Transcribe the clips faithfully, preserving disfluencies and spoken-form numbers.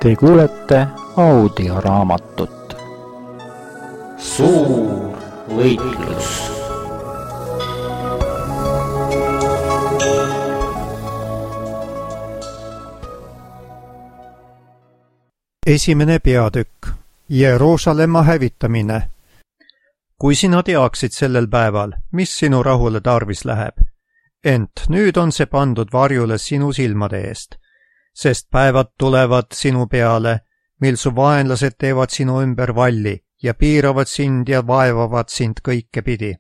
Te kuulete audioraamatut Suur võitlus. Esimene peatükk. Jeruusalemma hävitamine. Kui sina teaksid sellel päeval, mis sinu rahule tarvis läheb, ent nüüd on see pandud varjule sinu silmade eest, sest päevad tulevad sinu peale, mil su vaenlased teevad sinu ümber valli ja piiravad sind ja vaevavad sind kõike pidi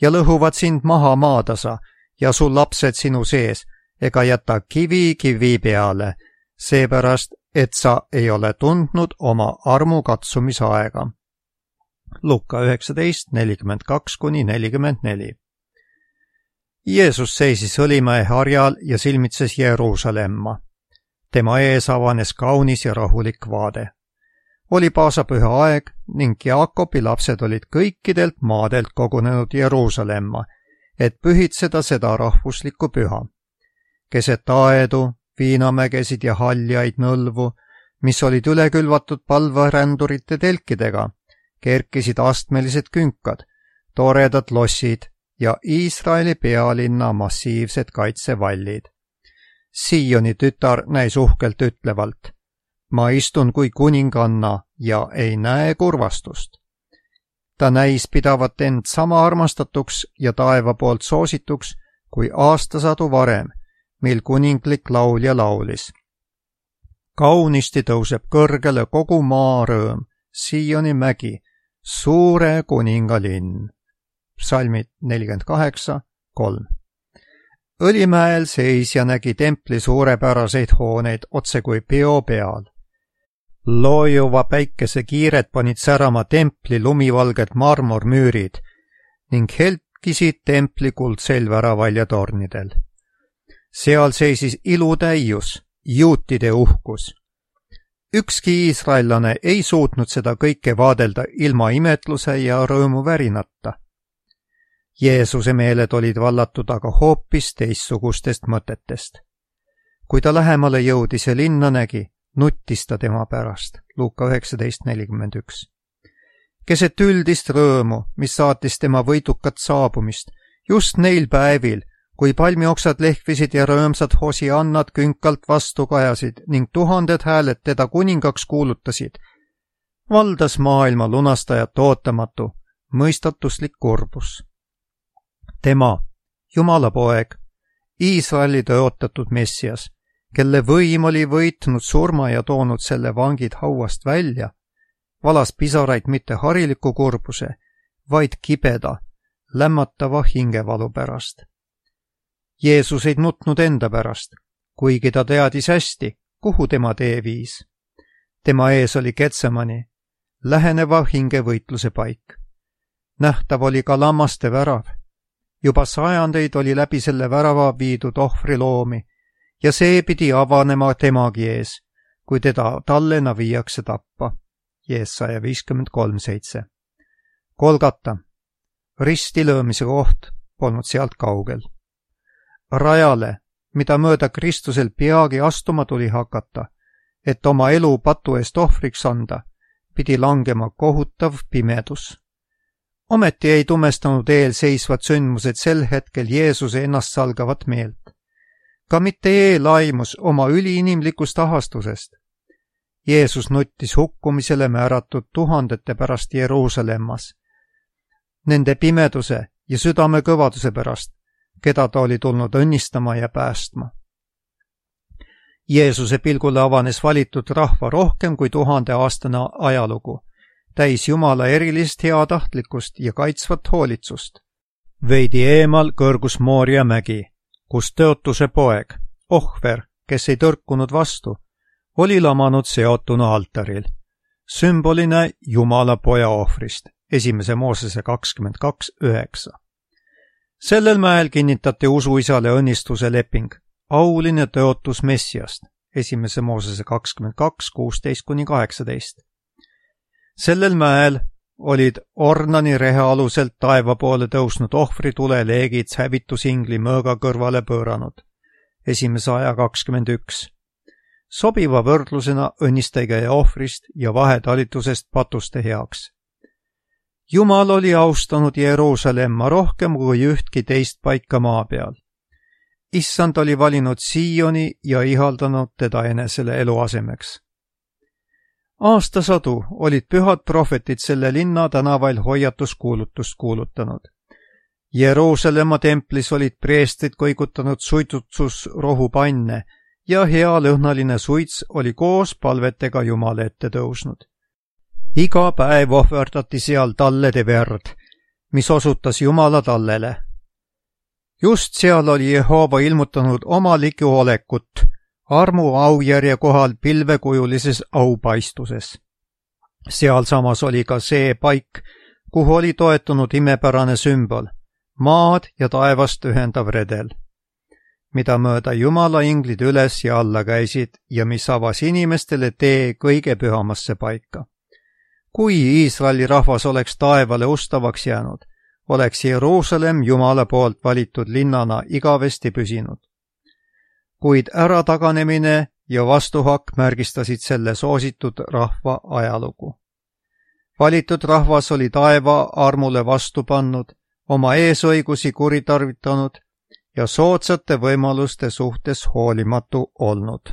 ja lõhuvad sind maha maatasa ja su lapsed sinu sees ega jäta kivi kivi peale, seepärast, et sa ei ole tundnud oma armu katsumisaega. Luka üheksateist nelikümmend kaks kuni nelikümmend neli. Jeesus seisis Õlimäe harjal ja silmitses Jeruusalemma. Tema ees avanes kaunis ja rahulik vaade. Oli paasapüha aeg ning Jaakobi lapsed olid kõikidelt maadelt kogunenud Jeruusalemma, et pühitseda seda rahvuslikku püha. Keset aedu, viinamägesid ja haljaid nõlvu, mis olid üle külvatud palvarändurite telkidega, kerkisid astmelised künkad, toredad lossid ja Iisraeli pealinna massiivsed kaitsevallid. Sioni tütar näis uhkelt ütlevalt, ma istun kui kuninganna ja ei näe kurvastust. Ta näis pidavat end sama armastatuks ja taeva poolt soosituks kui aastasadu varem, mil kuninglik laulja laulis. Kaunisti tõuseb kõrgele kogu maa rõõm, Sioni mägi, suure kuningalinn. Psalmid nelikümmend kaheksa kolm. Õlimäel seis ja nägi templi suurepäraseid hooneid otse kui peo peal. Loojuva päikese kiired panid särama templi lumivalged marmormüürid ning helkisid templi kuldseil väravaljatoornidel. Seal seisis ilutäius, juutide uhkus. Ükski iisraellane ei suutnud seda kõike vaadelda ilma imetluse ja rõõmu värinata. Jeesuse meeled olid vallatud aga hoopis teistsugustest mõtetest. Kui ta lähemale jõudis ja linna nägi, nuttis ta tema pärast. Luka üheksateist nelikümmend üks. Keset üldist rõõmu, mis saatis tema võidukat saabumist, just neil päevil, kui palmioksad lehvisid ja rõõmsad hosiannad künkalt vastu kajasid ning tuhanded hääled teda kuningaks kuulutasid, valdas maailma lunastajat ootamatu, mõistatuslik kurbus. Tema, Jumala poeg, Iisraeli tõotatud messias, kelle võim oli võitnud surma ja toonud selle vangid hauast välja, valas pisaraid mitte hariliku kurbuse, vaid kibeda, lämmatava hingevalu pärast. Jeesus ei nutnud enda pärast, kuigi ta teadis hästi, kuhu tema tee viis. Tema ees oli Getsemani, läheneva hingevõitluse paik. Nähtav oli ka lammaste värav. Juba sajandeid oli läbi selle värava viidud ohvriloomi ja see pidi avanema temagi ees, kui teda tallena viiakse tappa. Jeesaja viiskümmend kolm seitse. Kolgata, ristilöömise koht, polnud sealt kaugel. Rajale, mida mööda Kristusel peagi astuma tuli hakata, et oma elu patu eest ohvriks anda, pidi langema kohutav pimedus. Ometi ei tumestanud eelseisvad sündmused sel hetkel Jeesuse ennast salgavat meelt. Ka mitte eelaimus oma üliinimlikust ahastusest. Jeesus nuttis hukkumisele määratud tuhandete pärast Jeruusalemmas. Nende pimeduse ja südame kõvaduse pärast, keda ta oli tulnud õnnistama ja päästma. Jeesuse pilgule avanes valitud rahva rohkem kui tuhande aastane ajalugu, täis Jumala erilist heatahtlikkust ja kaitsvat hoolitsust. Veidi eemal kõrgus Mooria mägi, kus tõotuse poeg, ohver, kes ei tõrkunud vastu, oli lamanud seotuna altaril, sümbolina Jumala poja ohvrist, esimese Moosese kakskümmend kaks üheksa. Sellel mäel kinnitati usuisale õnnistuse leping, auline tõotus Messiast, esimese Moosese kakskümmend kaks kuusteist kuni kaheksateist. Sellel mäel olid Ornani rehe aluselt taeva poole tõusnud ohvritule leegid hävitusingli mõõga kõrvale pööranud, esimese aja kakskümmend üks. sobiva võrdlusena õnnistegija ohvrist ja vahetalitusest patuste heaks. Jumal oli austanud Jeruusalemma rohkem kui ühtki teist paika maa peal. Issand oli valinud Sioni ja ihaldanud teda enesele eluasemeks. Aastasadu olid pühad prohvetid selle linna tänavail hoiatuskuulutust kuulutanud. Jeruusalemma templis olid preestrid kõigutanud suitsutusrohupanne ja hea lõhnaline suits oli koos palvetega Jumala ette tõusnud. Iga päev ohverdati seal tallede verd, mis osutas Jumala tallele. Just seal oli Jehova ilmutanud oma ligiolekut armu aujärje kohal pilvekujulises aupaistuses. Sealsamas oli ka see paik, kuhu oli toetunud imepärane sümbol, maad ja taevast ühendav redel, mida mööda Jumala inglid üles ja alla käisid ja mis avas inimestele tee kõige pühamasse paika. Kui Iisraeli rahvas oleks taevale ustavaks jäänud, oleks Jeruusalemm Jumala poolt valitud linnana igavesti püsinud. Kuid ärataganemine ja vastuhakk märgistasid selle soositud rahva ajalugu. Valitud rahvas oli taeva armule vastu pannud, oma eesõigusi kuritarvitanud ja soodsate võimaluste suhtes hoolimatu olnud.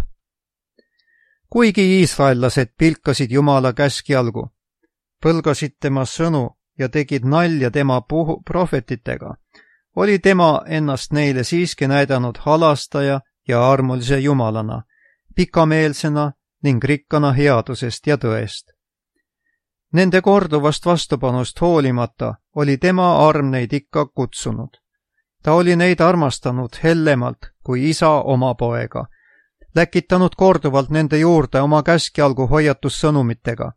Kuigi iisraellased pilkasid Jumala käskjalgu, põlgasid tema sõnu ja tegid nalja tema puhu prohvetitega, oli tema ennast neile siiski näidanud halastaja ja armulise Jumalana, pikameelsena ning rikkana headusest ja tõest. Nende korduvast vastupanust hoolimata oli tema arm neid ikka kutsunud. Ta oli neid armastanud hellemalt kui isa oma poega, läkitanud korduvalt nende juurde oma käskjalgu hoiatussõnumitega,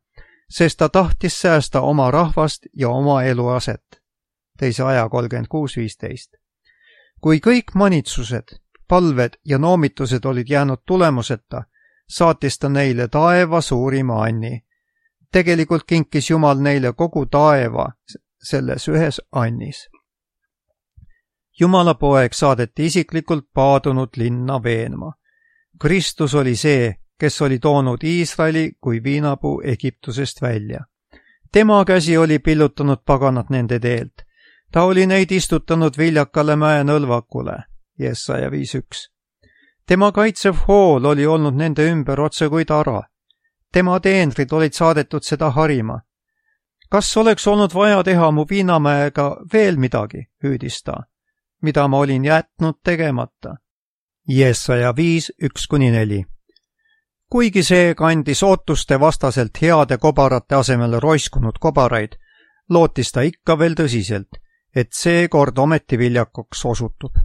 sest ta tahtis säästa oma rahvast ja oma eluaset. Teise aja kolmkümmend kuus viisteist. Kui kõik manitsused, palved ja noomitused olid jäänud tulemuseta, saatis ta neile taeva suurima anni. Tegelikult kinkis Jumal neile kogu taeva selles ühes annis. Jumala poeg saadeti isiklikult paadunud linna veenma. Kristus oli see, kes oli toonud Iisraeli kui viinapuu Egiptusest välja. Tema käsi oli pillutanud paganat nende teelt. Ta oli neid istutanud viljakale mäe nõlvakule. Jesaja viis üks. Tema kaitsev hool oli olnud nende ümber otse kui tara. Tema teenrid olid saadetud seda harima. Kas oleks olnud vaja teha mu viinamäega veel midagi, hüüdis ta, mida ma olin jätnud tegemata? Jesaja viis üks kuni neli. Kuigi see kandis ootuste vastaselt heade kobarate asemel roiskunud kobaraid, lootis ta ikka veel tõsiselt, et see kord ometi viljakuks osutub.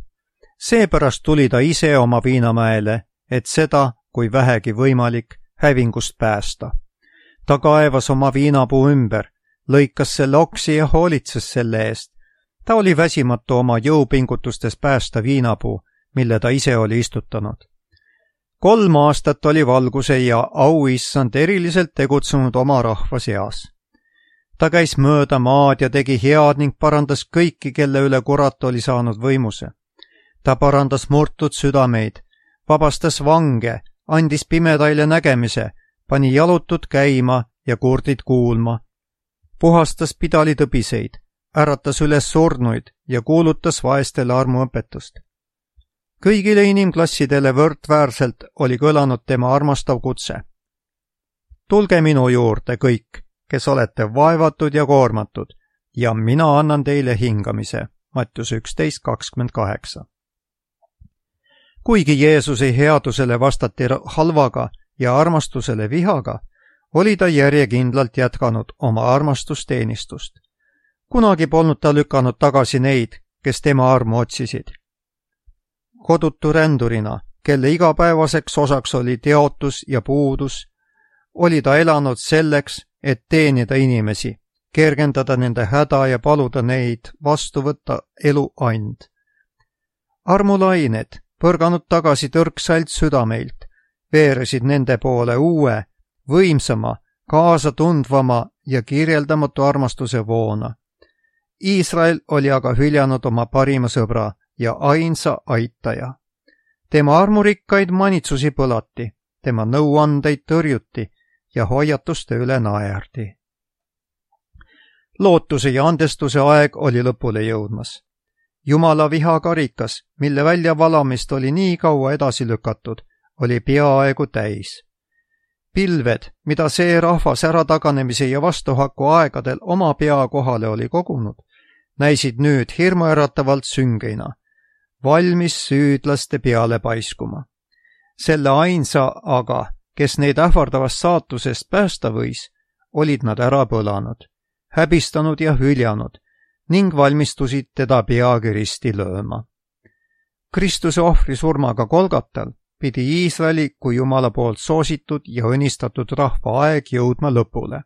Seepärast tuli ta ise oma viinamäele, et seda, kui vähegi võimalik, hävingust päästa. Ta kaevas oma viinapuu ümber, lõikas selle oksi ja hoolitses selle eest. Ta oli väsimatu oma jõupingutustes päästa viinapuu, mille ta ise oli istutanud. Kolm aastat oli valguse ja auissand eriliselt tegutsenud oma rahva seas. Ta käis mööda maad ja tegi head ning parandas kõiki, kelle üle kurat oli saanud võimuse. Ta parandas murtud südameid, vabastas vange, andis pimedaile nägemise, pani jalutud käima ja kurdid kuulma, puhastas pidalitõbiseid, äratas üles surnuid ja kuulutas vaestele armuõpetust. Kõigile inimklassidele võrdväärselt oli kõlanud tema armastav kutse. Tulge minu juurde kõik, kes olete vaevatud ja koormatud, ja mina annan teile hingamise. Mattiuse üksteist kakskümmend kaheksa. Kuigi Jeesuse headusele vastati halvaga ja armastusele vihaga, oli ta järjekindlalt jätkanud oma armastusteenistust. Kunagi polnud ta lükanud tagasi neid, kes tema armu otsisid. Kodutu rändurina, kelle igapäevaseks osaks oli teotus ja puudus, oli ta elanud selleks, et teenida inimesi, kergendada nende häda ja paluda neid vastu võtta elu and. Armulained, põrganud tagasi tõrksalt südameilt, veeresid nende poole uue, võimsama, kaasatundvama ja kirjeldamatu armastuse voona. Iisrael oli aga hüljanud oma parima sõbra ja ainsa aitaja. Tema armurikkaid manitsusi põlati, tema nõuandeid tõrjuti ja hoiatuste üle naerdi. Lootuse ja andestuse aeg oli lõpule jõudmas. Jumala vihakarikas, mille väljavalamist oli nii kaua edasi lükatud, oli peaaegu täis. Pilved, mida see rahvas ärataganemise ja vastuhaku aegadel oma pea kohale oli kogunud, näisid nüüd hirmuäratavalt süngeina, valmis süüdlaste peale paiskuma. Selle ainsa aga, kes neid ähvardavast saatusest päästa võis, olid nad ära põlanud, häbistanud ja hüljanud ning valmistusid teda peagi risti lööma. Kristuse ohvri surmaga Golgatal pidi Iisraeli kui Jumala poolt soositud ja õnnistatud rahva aeg jõudma lõpule.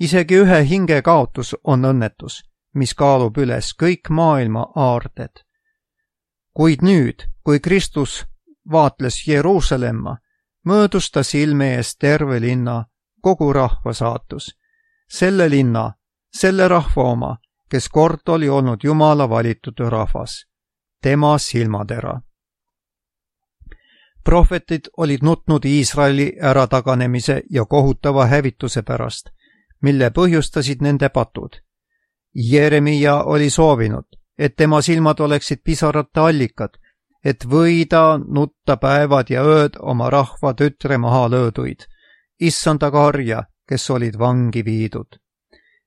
Isegi ühe hinge kaotus on õnnetus, mis kaalub üles kõik maailma aarded. Kuid nüüd, kui Kristus vaatles Jeruusalemma, möödus ta silme ees terve linna, kogu rahva saatus. Selle linna, selle rahva oma, kes kord oli olnud Jumala valitud rahvas, tema silmatera. Prohvetid olid nutnud Iisraeli ärataganemise ja kohutava hävituse pärast, mille põhjustasid nende patud. Jeremia oli soovinud, et tema silmad oleksid pisarate allikad, et võida nutta päevad ja ööd oma rahva tütre maha lööduid, issanda karja, kes olid vangi viidud.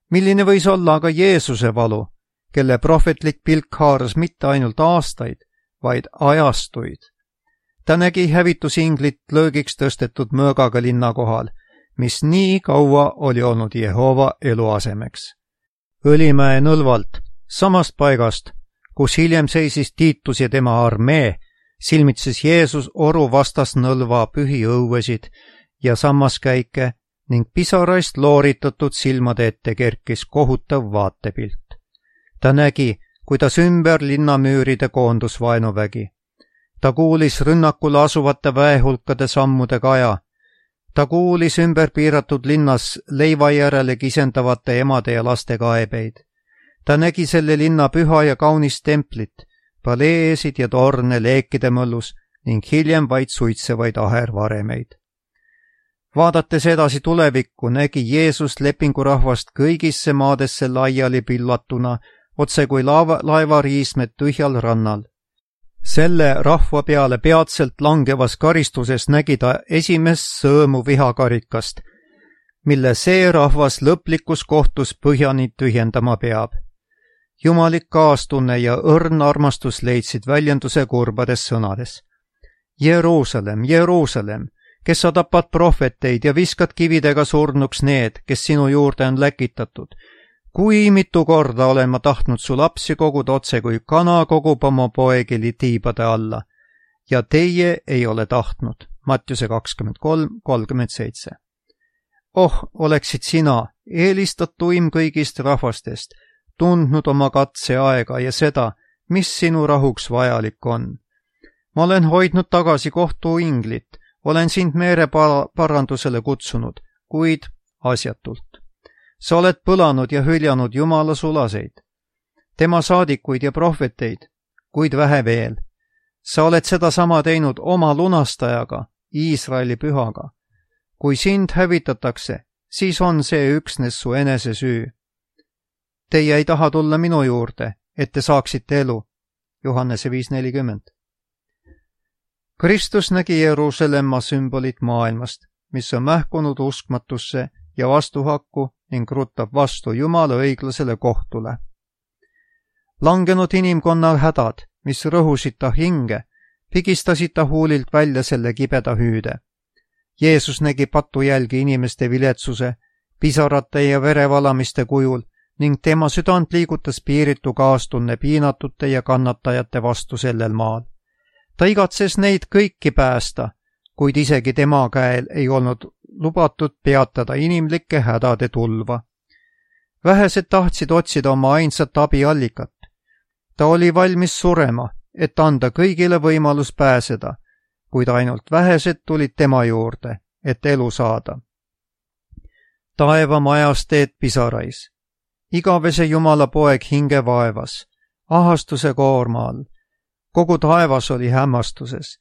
Milline võis olla aga Jeesuse valu, kelle prohvetlik pilk haaras mitte ainult aastaid, vaid ajastuid. Ta nägi hävitusinglit löögiks tõstetud mõõgaga linna kohal, mis nii kaua oli olnud Jehova eluasemeks. Õlimäe nõlvalt, samast paigast, kus hiljem seisis Tiitus ja tema armee, silmitses Jeesus oru vastas nõlva pühi õuesid ja sammaskäike ning pisaraist looritatud silmade ette kerkis kohutav vaatepilt. Ta nägi, kuidas ümber linnamüüride koondus vaenuvägi. Ta kuulis rünnakule asuvate väehulkade sammude kaja. Ta kuulis ümber piiratud linnas leiva järele kisendavate emade ja laste kaebeid. Ta nägi selle linna püha ja kaunist templit, paleesid ja torne leekide mõllus ning hiljem vaid suitsevaid ahervaremeid. Vaadates edasi tulevikku, nägi Jeesus lepingurahvast kõigisse maadesse laiali pillatuna, otse kui laeva, laevariismed tühjal rannal. Selle rahva peale peatselt langevas karistuses nägi ta esimest sõõmu vihakarikast, mille see rahvas lõplikus kohtus põhjani tühjendama peab. Jumalik kaastunne ja õrn armastus leidsid väljenduse kurbades sõnades. Jeruusalemm, Jeruusalemm, kes sa tapad prohveteid ja viskad kividega surnuks need, kes sinu juurde on läkitatud. Kui mitu korda olen ma tahtnud su lapsi koguda otse, kui kana kogub oma poegi tiibade alla. Ja teie ei ole tahtnud. Mattiuse kakskümmend kolm kolmkümmend seitse. Oh, oleksid sina, eelistatuim kõigist rahvastest, tundnud oma katseaega ja seda, mis sinu rahuks vajalik on. Ma olen hoidnud tagasi kohtu inglit, olen sind meere parandusele kutsunud, kuid asjatult. Sa oled põlanud ja hüljanud Jumala sulaseid, tema saadikuid ja prohveteid, kuid vähe veel. Sa oled seda sama teinud oma lunastajaga, Iisraeli pühaga. Kui sind hävitatakse, siis on see üksnes su enese süü. Teie ei taha tulla minu juurde, et te saaksite elu. Johannese viis nelikümmend. Kristus nägi Jeruusalemma sümbolit maailmast, mis on mähkunud uskmatusse ja vastuhakku ning ruttab vastu Jumala õiglasele kohtule. Langenud inimkonna hädad, mis rõhusid ta hinge, pigistasid ta huulilt välja selle kibeda hüüde. Jeesus nägi patujälgi inimeste viletsuse, pisarate ja verevalamiste kujul ning tema südant liigutas piiritu kaastunne piinatute ja kannatajate vastu sellel maal. Ta igatses neid kõiki päästa, kuid isegi tema käel ei olnud lubatud peatada inimlike hädade tulva. Vähesed tahtsid otsida oma ainsat abiallikat. Ta oli valmis surema, et anda kõigile võimalus pääseda, kuid ainult vähesed tulid tema juurde, et elu saada. Taeva majas teed pisarais. Igavese Jumala poeg hinge vaevas, ahastuse koorma all. Kogu taevas oli hämmastuses.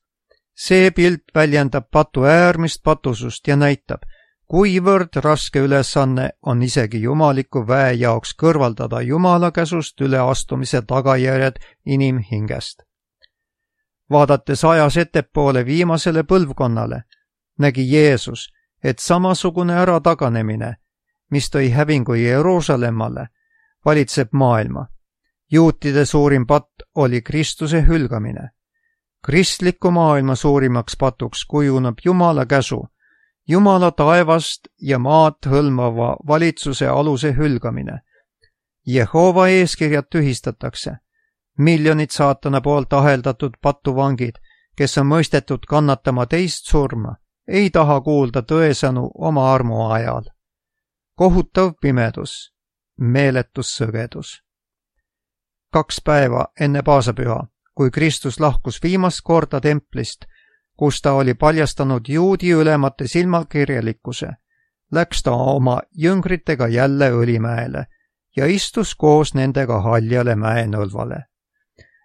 see pilt väljendab patu äärmist patusust ja näitab, kuivõrd raske ülesanne on isegi jumaliku väe jaoks kõrvaldada Jumala käsust üleastumise tagajärjed inimhingest. Vaadates ajas ettepoole viimasele põlvkonnale, nägi Jeesus, et samasugune ärataganemine, mis tõi hävingu Jeruusalemmale, valitseb maailma. Juutide suurim patt oli Kristuse hülgamine. Kristliku maailma suurimaks patuks kujuneb Jumala käsu, Jumala taevast ja maad hõlmava valitsuse aluse hülgamine. Jehova eeskirjad tühistatakse. Miljonid saatana poolt aheldatud patuvangid, kes on mõistetud kannatama teist surma, ei taha kuulda tõesõnu oma armu ajal. Kohutav pimedus, meeletus sõgedus. Kaks päeva enne paasapüha, kui Kristus lahkus viimast korda templist, kus ta oli paljastanud juudi ülemate silmakirjalikkuse, läks ta oma jüngritega jälle Õlimäele ja istus koos nendega haljale mäenõlvale.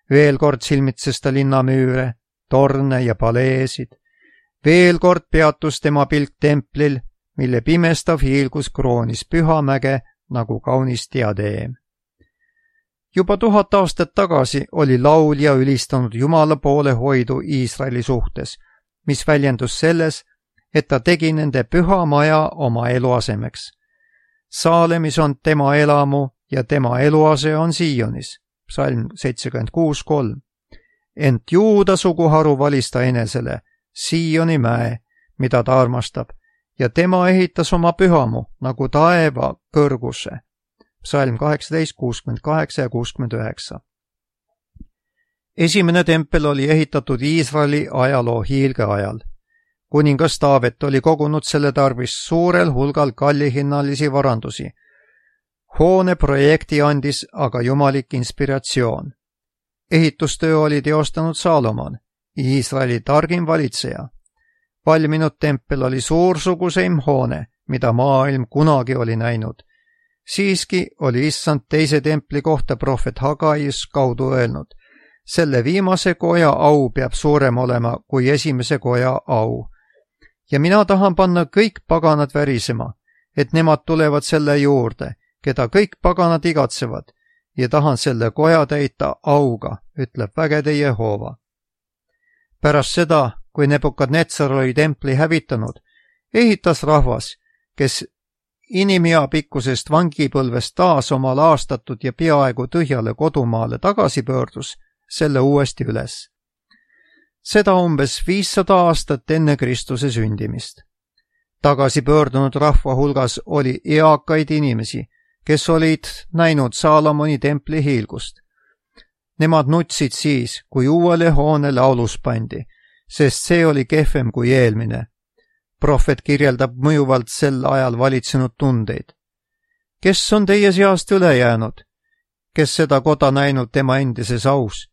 Veel kord silmitses ta linnamüüre, torne ja paleesid. Veel kord peatus tema pilk templil, mille pimestav hiilgus kroonis Pühamäge nagu kaunis diadeem. Juba tuhat aastat tagasi oli laulja ülistanud Jumala poole hoidu Iisraeli suhtes, mis väljendus selles, et ta tegi nende püha maja oma eluasemeks. Saalemis on tema elamu ja tema eluase on Sionis. Psalm seitsekümmend kuus kolm. Ent Juuda suguharu valis ta enesele, Sioni mäe, mida ta armastab, ja tema ehitas oma pühamu nagu taeva kõrguse. Psalm kaheksateist, kuuskümmend kaheksa ja kuuskümmend üheksa. Esimene tempel oli ehitatud Iisraeli ajaloo hiilge ajal. Kuningas Taavet oli kogunud selle tarvis suurel hulgal kallihinnalisi varandusi. Hoone projekti andis aga jumalik inspiratsioon. Ehitustöö oli teostanud Saalomon, Iisraeli targim valitseja. Valminud tempel oli suursuguseim hoone, mida maailm kunagi oli näinud. Siiski oli issand teise templi kohta prohvet Hagaius kaudu öelnud, selle viimase koja au peab suurem olema kui esimese koja au. Ja mina tahan panna kõik paganad värisema, et nemad tulevad selle juurde, keda kõik paganad igatsevad, ja tahan selle koja täita auga, ütleb vägede Jehova. Pärast seda, kui Nebukadnetsar oli templi hävitanud, ehitas rahvas, kes inimea pikkusest vangipõlvest taas oma laastatud ja peaaegu tühjale kodumaale tagasi pöördus, selle uuesti üles. Seda umbes viissada aastat enne Kristuse sündimist. Tagasi pöördunud rahva hulgas oli eakaid inimesi, kes olid näinud Saalomoni templi hiilgust. Nemad nutsid siis, kui uuele hoonele aulus pandi, sest see oli kehvem kui eelmine. Prohvet kirjeldab mõjuvalt sel ajal valitsenud tundeid. Kes on teie seast üle jäänud, kes seda koda näinud tema endises aus?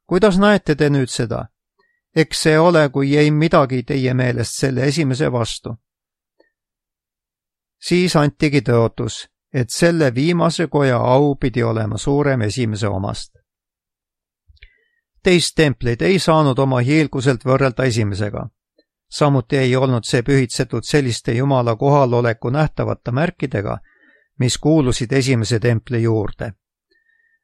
Kuidas näete te nüüd seda? Eks see ole, kui ei midagi teie meelest selle esimese vastu. Siis antigi tõotus, et selle viimase koja au pidi olema suurem esimese omast. Teist templit ei saanud oma hiilguselt võrrelda esimesega. Samuti ei olnud see pühitsetud selliste Jumala kohaloleku nähtavate märkidega, mis kuulusid esimese templi juurde.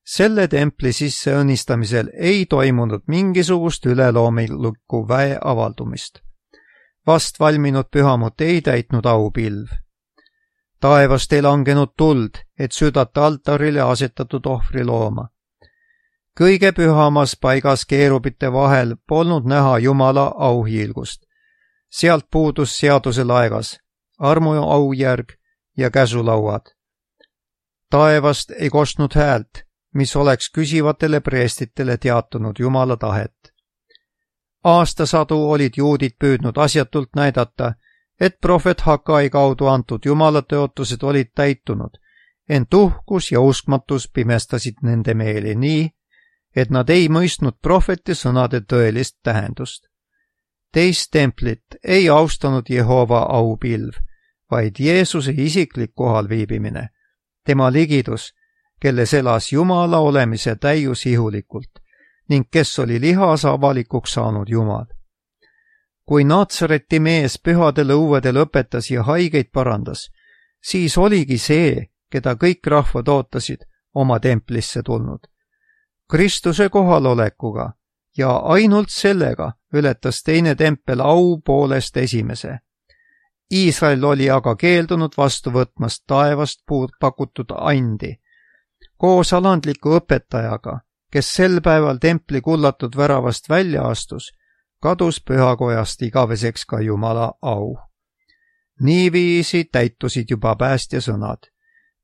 Selle templi sisse õnnistamisel ei toimunud mingisugust üleloomulikku väe avaldumist. Vast valminud pühamut ei täitnud aupilv. Taevast ei langenud tuld, et südata altarile asetatud ohvri looma. Kõige pühamas paigas keerubite vahel polnud näha Jumala auhiilgust. Sealt puudus seaduse laegas, armu aujärg ja käsulauad. Taevast ei kostnud häält, mis oleks küsivatele preestitele teatanud Jumala tahet. Aastasadu olid juudid püüdnud asjatult näidata, et prohvet Hagai kaudu antud Jumala tõotused olid täitunud, ent uhkus ja uskmatus pimestasid nende meeli nii, et nad ei mõistnud prohveti sõnade tõelist tähendust. Teist templit ei austanud Jehova aupilv, vaid Jeesuse isiklik kohalviibimine, tema ligidus, kelles elas Jumala olemise täius ihulikult ning kes oli lihas avalikuks saanud Jumal. kui Naatsareti mees pühadel õuedel õpetas ja haigeid parandas, siis oligi see, keda kõik rahvad ootasid, oma templisse tulnud. Kristuse kohalolekuga ja ainult sellega ületas teine tempel au poolest esimese. Iisrael oli aga keeldunud vastu võtmast taevast pakutud andi. Koos alandliku õpetajaga, kes sel päeval templi kullatud väravast välja astus, kadus pühakojast igaveseks ka Jumala au. Niiviisi täitusid juba päästja sõnad.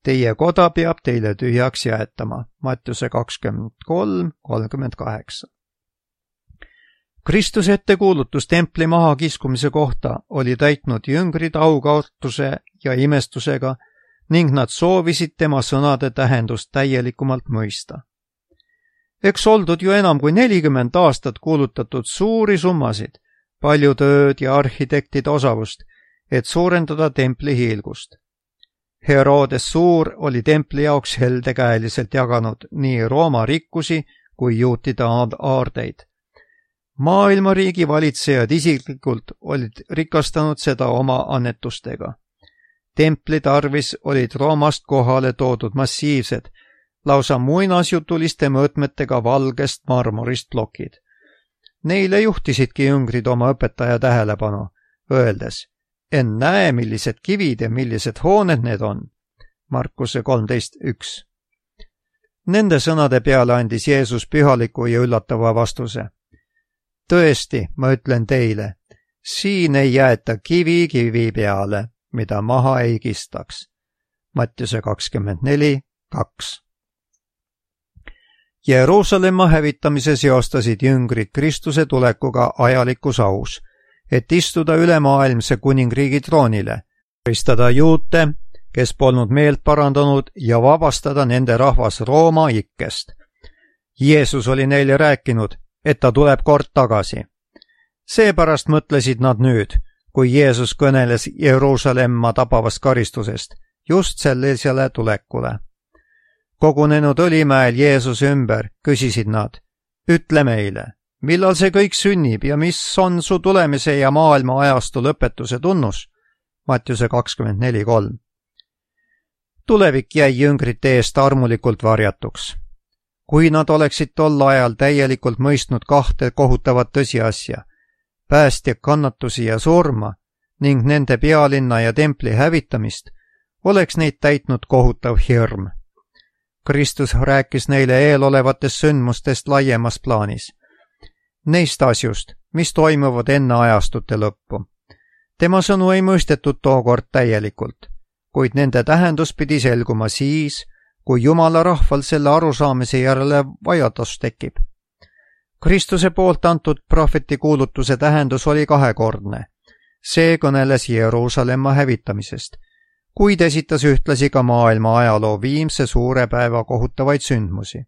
Teie koda peab teile tühjaks jäetama. Mattiuse kakskümmend kolm kolmkümmend kaheksa. Kristuse ettekuulutus templi mahakiskumise kohta oli täitnud jüngrid aukaotuse ja imestusega ning nad soovisid tema sõnade tähendust täielikumalt mõista. Eks oldud ju enam kui nelikümmend aastat kuulutatud suuri summasid, palju tööd ja arhitektide osavust, et suurendada templi hiilgust. Herodes Suur oli templi jaoks heldekäeliselt jaganud nii Rooma rikkusi kui juutide aardeid. Maailmariigi valitsejad isiklikult olid rikastanud seda oma annetustega. Templi tarvis olid Roomast kohale toodud massiivsed, lausa muinasjutuliste mõõtmetega valgest marmorist plokid. Neile juhtisidki jüngrid oma õpetaja tähelepanu, öeldes, en näe, millised kivid ja millised hooned need on. Markuse kolmteist üks. Nende sõnade peale andis Jeesus pühaliku ja üllatava vastuse. Tõesti, ma ütlen teile, siin ei jäeta kivi kivi peale, mida maha ei kistaks. Mattiuse kakskümmend neli kaks. Jeruusalemma hävitamise seostasid jüngrid Kristuse tulekuga ajalikus aus, et istuda ülemaailmse kuningriigi troonile, karistada juute, kes polnud meelt parandanud ja vabastada nende rahvas Rooma ikkest. Jeesus oli neile rääkinud, et ta tuleb kord tagasi. Seepärast mõtlesid nad nüüd, kui Jeesus kõneles Jeruusalemma tabavast karistusest, just sellisele tulekule. Kogunenud Õlimäel Jeesuse ümber küsisid nad, ütle meile, millal see kõik sünnib ja mis on su tulemise ja maailma ajastu lõpetuse tunnus? Mattiuse kakskümmend neli kolm. Tulevik jäi jüngrite eest armulikult varjatuks. Kui nad oleksid tol ajal täielikult mõistnud kahte kohutavat tõsiasja, päästja kannatusi ja surma ning nende pealinna ja templi hävitamist, oleks neid täitnud kohutav hirm. Kristus rääkis neile eelolevatest sündmustest laiemas plaanis. Neist asjust, mis toimuvad enne ajastute lõppu. Tema sõnu ei mõistetud tookord täielikult, kuid nende tähendus pidi selguma siis, kui Jumala rahval selle arusaamise järele vajadus tekib. Kristuse poolt antud prohveti kuulutuse tähendus oli kahekordne. See kõneles Jeruusalemma hävitamisest, kuid esitas ühtlasi ka maailma ajaloo viimse suure päeva kohutavaid sündmusi.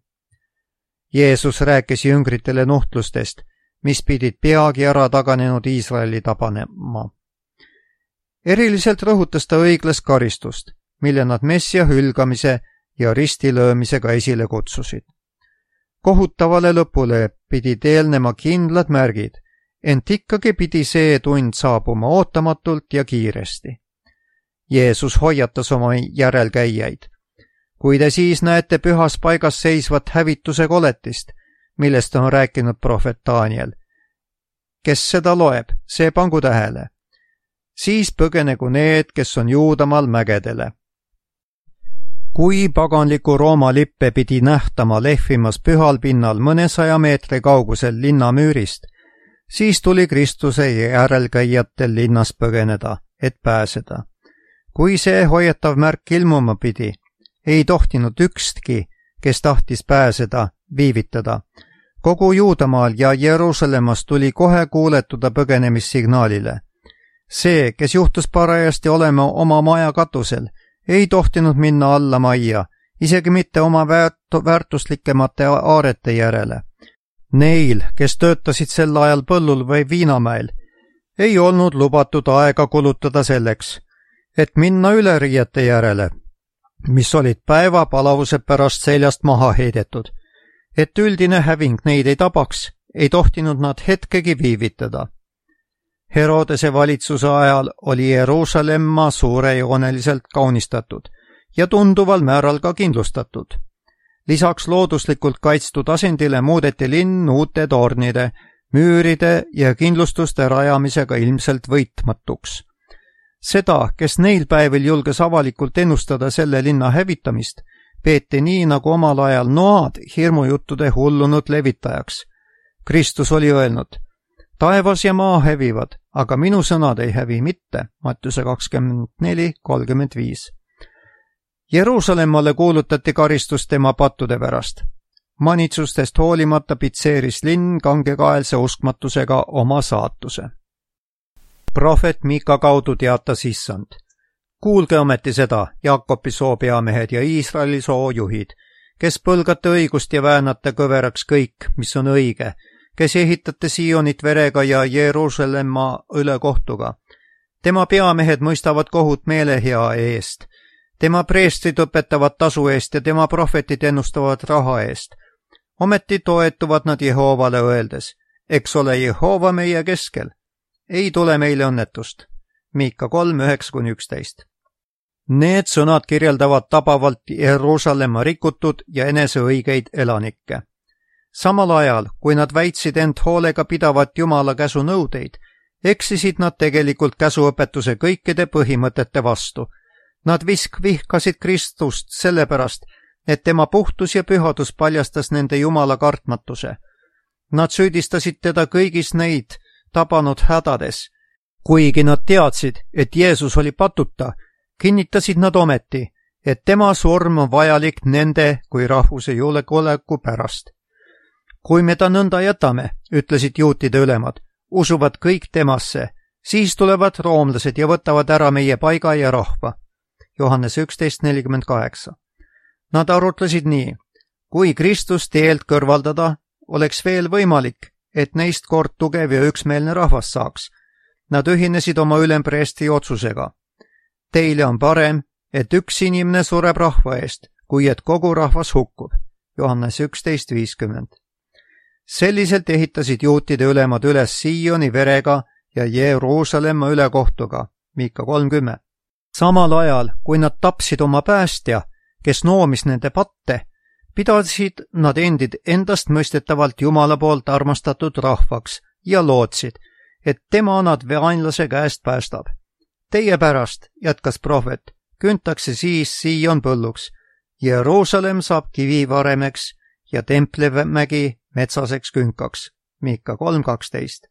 Jeesus rääkis jüngritele nuhtlustest, mis pidid peagi ära taganenud Iisraeli tabanema. Eriliselt rõhutas ta õiglast karistust, mille nad messia hülgamise ja ristilöömisega esile kutsusid. Kohutavale lõpule pidid eelnema kindlad märgid, ent ikkagi pidi see tund saabuma ootamatult ja kiiresti. Jeesus hoiatas oma järelkäijaid. Kui te siis näete pühas paigas seisvat hävituse koletist, millest on rääkinud prohvet Daniel, kes seda loeb, see pangu tähele. Siis põgenegu need, kes on Juudamaal mägedele. Kui paganliku Rooma lippe pidi nähtama lehvimas pühal pinnal mõnesaja meetri kaugusel linnamüürist, siis tuli Kristuse järelkäijatel linnas põgeneda, et pääseda. Kui see hoiatav märk ilmuma pidi, ei tohtinud ükski, kes tahtis pääseda, viivitada. Kogu Juudamaal ja Jeruusalemmas tuli kohe kuuletuda põgenemissignaalile. See, kes juhtus parajasti olema oma maja katusel, ei tohtinud minna alla majja, isegi mitte oma väärt- väärtuslikemate aarete järele. Neil, kes töötasid sel ajal põllul või viinamäel, ei olnud lubatud aega kulutada selleks, et minna üleriiete järele, mis olid päeva palavuse pärast seljast maha heidetud. Et üldine häving neid ei tabaks, ei tohtinud nad hetkegi viivitada. Herodese valitsuse ajal oli Jeruusalemma suurejooneliselt kaunistatud ja tunduval määral ka kindlustatud. Lisaks looduslikult kaitstud asendile muudeti linn uute tornide, müüride ja kindlustuste rajamisega ilmselt võitmatuks. Seda, kes neil päevil julges avalikult ennustada selle linna hävitamist, peeti nii nagu omal ajal Noad hirmujuttude hullunud levitajaks. Kristus oli öelnud, taevas ja maa hävivad, aga minu sõnad ei hävi mitte, Mattiuse kakskümmend neli kolmkümmend viis. Jeruusalemmale kuulutati karistus tema pattude pärast. Manitsustest hoolimata pitseeris linn kangekaelse uskmatusega oma saatuse. Prohvet Miika kaudu teatas issand. Kuulge ometi seda, Jaakopi soopeamehed ja Iisraeli soojuhid, kes põlgate õigust ja väänate kõveraks kõik, mis on õige, kes ehitate Siionit verega ja Jeruusalemma ülekohtuga. Tema peamehed mõistavad kohut meelehea eest. Tema preestrid õpetavad tasu eest ja tema prohvetid ennustavad raha eest. Ometi toetuvad nad Jehoovale öeldes, eks ole Jehova meie keskel. Ei tule meile õnnetust. Miika kolm üheksa kuni üksteist. Need sõnad kirjeldavad tabavalt Jeruusalemma rikutud ja eneseõigeid elanikke. Samal ajal, kui nad väitsid end hoolega pidavat Jumala käsu nõudeid, eksisid nad tegelikult käsuõpetuse kõikide põhimõtete vastu. Nad visk vihkasid Kristust sellepärast, et tema puhtus ja pühadus paljastas nende Jumala kartmatuse. Nad süüdistasid teda kõigis neid tabanud hädades. Kuigi nad teadsid, et Jeesus oli patuta, kinnitasid nad ometi, et tema surm on vajalik nende kui rahvuse julgeoleku pärast. Kui me ta nõnda jätame, ütlesid juutide ülemad, usuvad kõik temasse, siis tulevad roomlased ja võtavad ära meie paiga ja rahva. Johannes üksteist nelikümmend kaheksa. Nad arutlesid nii, kui Kristus teelt kõrvaldada, oleks veel võimalik, et neist kord tugev ja üksmeelne rahvas saaks. Nad ühinesid oma ülempreesti otsusega. Teile on parem, et üks inimene sureb rahva eest, kui et kogu rahvas hukkub. Johannes üksteist viiskümmend. Selliselt ehitasid juutide ülemad üles Sioni verega ja Jeruusalemma ülekohtuga. Miika kolmkümmend. Samal ajal, kui nad tapsid oma päästja, kes noomis nende patte, pidasid nad endid endast mõistetavalt Jumala poolt armastatud rahvaks ja lootsid, et tema nad vaenlase käest päästab. Teie pärast, jätkas prohvet, küntakse siis Sion põlluks, Jeruusalemm saab kivivaremeks ja Templimägi metsaseks künkaks. Miika kolm kaksteist.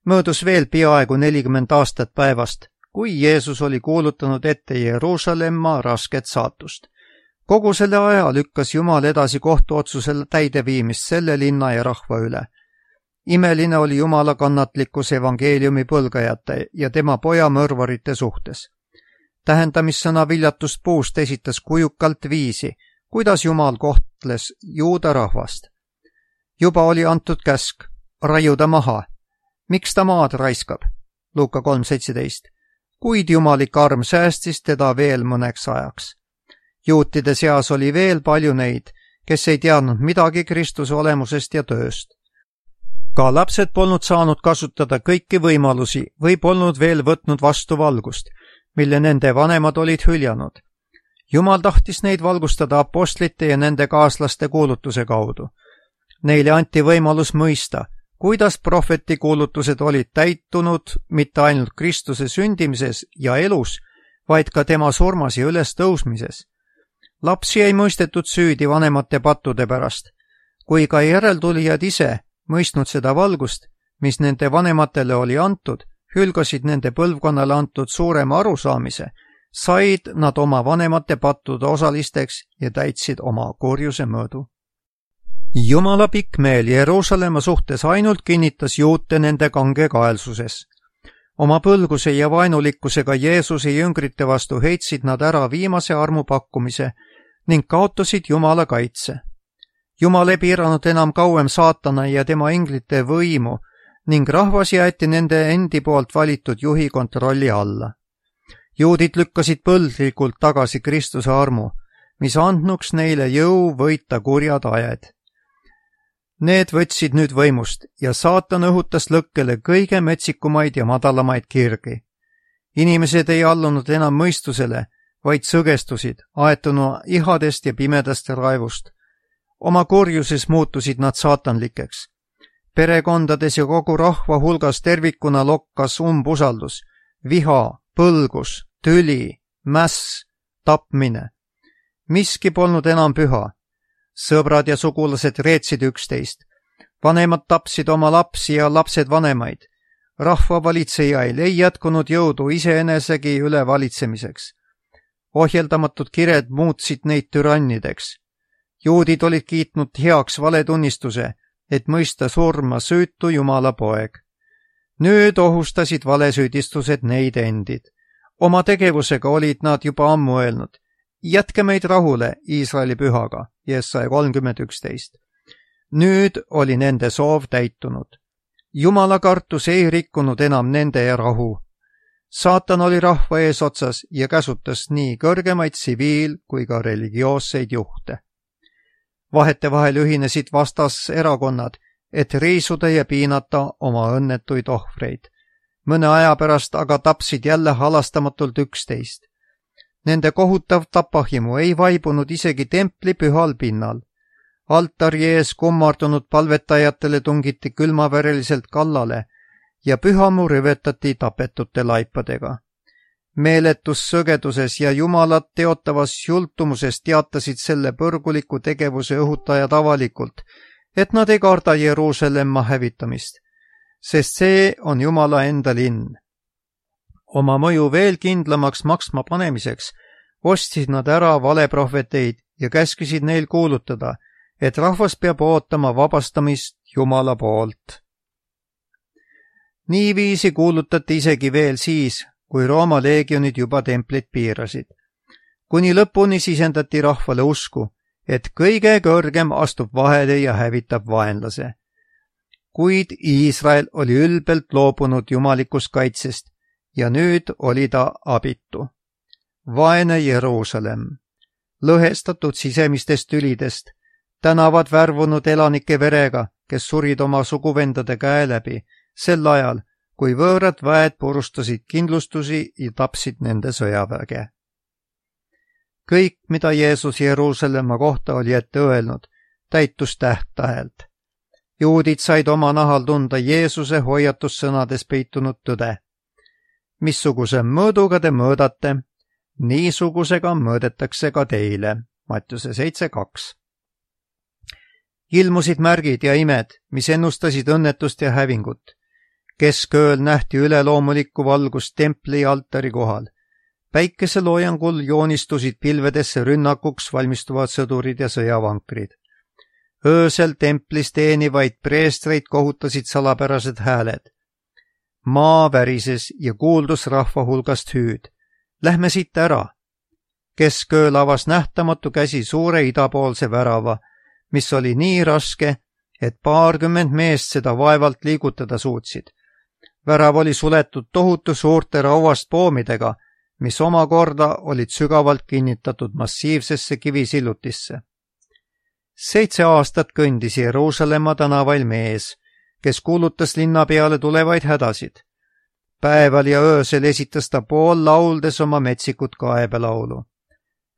Möödus veel peaaegu nelikümmend aastat päevast, kui Jeesus oli kuulutanud ette Jeruusalemma rasket saatust. Kogu selle aja lükkas Jumal edasi kohtuotsusel täideviimist selle linna ja rahva üle. Imeline oli Jumala kannatlikkus evangeeliumi põlgajate ja tema poja mõrvarite suhtes. Tähendamissõna viljatust puust esitas kujukalt viisi, kuidas Jumal kohtles juuda rahvast. Juba oli antud käsk, raiuda maha. Miks ta maad raiskab? Luuka kolm seitseteist. Kuid jumalik arm säästis teda veel mõneks ajaks. Juutide seas oli veel palju neid, kes ei teadnud midagi Kristuse olemusest ja tööst. Ka lapsed polnud saanud kasutada kõiki võimalusi või polnud veel võtnud vastu valgust, mille nende vanemad olid hüljanud. Jumal tahtis neid valgustada apostlite ja nende kaaslaste kuulutuse kaudu. Neile anti võimalus mõista, kuidas prohveti kuulutused olid täitunud mitte ainult Kristuse sündimises ja elus, vaid ka tema surmas ja üles tõusmises. Lapsi ei mõistetud süüdi vanemate pattude pärast, kui ka järeltulijad ise, mõistnud seda valgust, mis nende vanematele oli antud, hülgasid nende põlvkonnale antud suurema arusaamise, said nad oma vanemate pattude osalisteks ja täitsid oma kurjuse mõõdu. Jumala pikk meel Jeruusalemma suhtes ainult kinnitas juute nende kangekaelsuses. Oma põlguse ja vaenulikkusega Jeesuse jüngrite vastu heitsid nad ära viimase armu pakkumise ning kaotasid Jumala kaitse. Jumal ei piiranud enam kauem saatana ja tema inglite võimu ning rahvas jäeti nende endi poolt valitud juhi kontrolli alla. Juudid lükkasid põlglikult tagasi Kristuse armu, mis andnuks neile jõu võita kurjad ajed. Need võtsid nüüd võimust ja saatan õhutas lõkkele kõige metsikumaid ja madalamaid kirgi. Inimesed ei allunud enam mõistusele, vaid sõgestusid, aetuna ihadest ja pimedast raevust. Oma kurjuses muutusid nad saatanlikeks. Perekondades ja kogu rahva hulgas tervikuna lokkas umbusaldus, viha, põlgus, tüli, mäss, tapmine. Miski polnud enam püha. Sõbrad ja sugulased reetsid üksteist. Vanemad tapsid oma lapsi ja lapsed vanemaid. Rahva valitsejail ei jätkunud jõudu iseenesegi üle valitsemiseks. Ohjeldamatud kired muutsid neid türannideks. Juudid olid kiitnud heaks valetunnistuse, et mõista surma süütu Jumala poeg. Nüüd ohustasid valesüüdistused neid endid. Oma tegevusega olid nad juba ammu öelnud, jätke meid rahule Iisraeli pühaga, Jesaja kolmkümmend üksteist. Nüüd oli nende soov täitunud. Jumala kartus ei rikkunud enam nende rahu. Saatan oli rahva eesotsas ja käsutas nii kõrgemaid tsiviil- kui ka religioosseid juhte. Vahetevahel ühinesid vastaserakonnad, et riisuda ja piinata oma õnnetuid ohvreid. Mõne aja pärast aga tapsid jälle halastamatult üksteist. Nende kohutav tapahimu ei vaibunud isegi templi pühal pinnal. Altari ees kummardunud palvetajatele tungiti külmavereliselt kallale ja pühamu rüvetati tapetute laipadega. Meeletus sõgeduses ja Jumalat teotavas jultumuses teatasid selle põrguliku tegevuse õhutajad avalikult, et nad ei karda Jeruusalemma hävitamist, sest see on Jumala enda linn. Oma mõju veel kindlamaks maksma panemiseks ostsid nad ära valeprohveteid ja käskisid neil kuulutada, et rahvas peab ootama vabastamist Jumala poolt. Niiviisi kuulutati isegi veel siis, kui Rooma leegionid juba templit piirasid. Kuni lõpuni sisendati rahvale usku, et kõige kõrgem astub vahele ja hävitab vaenlase. Kuid Iisrael oli ülbelt loobunud jumalikust kaitsest ja nüüd oli ta abitu. Vaene Jeruusalemm, lõhestatud sisemistest tülidest, tänavad värvunud elanike verega, kes surid oma suguvendade käe läbi, sel ajal, kui võõrad väed purustasid kindlustusi ja tapsid nende sõjaväge. Kõik, mida Jeesus Jeruusalemma kohta oli ette öelnud, täitus täht-tähelt. Juudid said oma nahal tunda Jeesuse hoiatussõnades peitunud tõde. Missuguse mõõduga te mõõdate, niisugusega mõõdetakse ka teile. Mattiuse seitse kaks. Ilmusid märgid ja imed, mis ennustasid õnnetust ja hävingut. Keskööl nähti üleloomulikku valgust templi ja altari kohal. Päikeseloojangul joonistusid pilvedesse rünnakuks valmistuvad sõdurid ja sõjavankrid. Öösel templis teenivaid preestreid kohutasid salapärased hääled. Maa värises ja kuuldus rahva hulgast hüüd. Lähme siit ära. Keskööl avas nähtamatu käsi suure idapoolse värava, mis oli nii raske, et paarkümmend meest seda vaevalt liigutada suutsid. Värav oli suletud tohutu suurte rauast poomidega, mis omakorda olid sügavalt kinnitatud massiivsesse kivisillutisse. Seitse aastat kõndis Jeruusalemma tänavail mees, kes kuulutas linna peale tulevaid hädasid. Päeval ja öösel esitas ta pool lauldes oma metsikut kaebelaulu.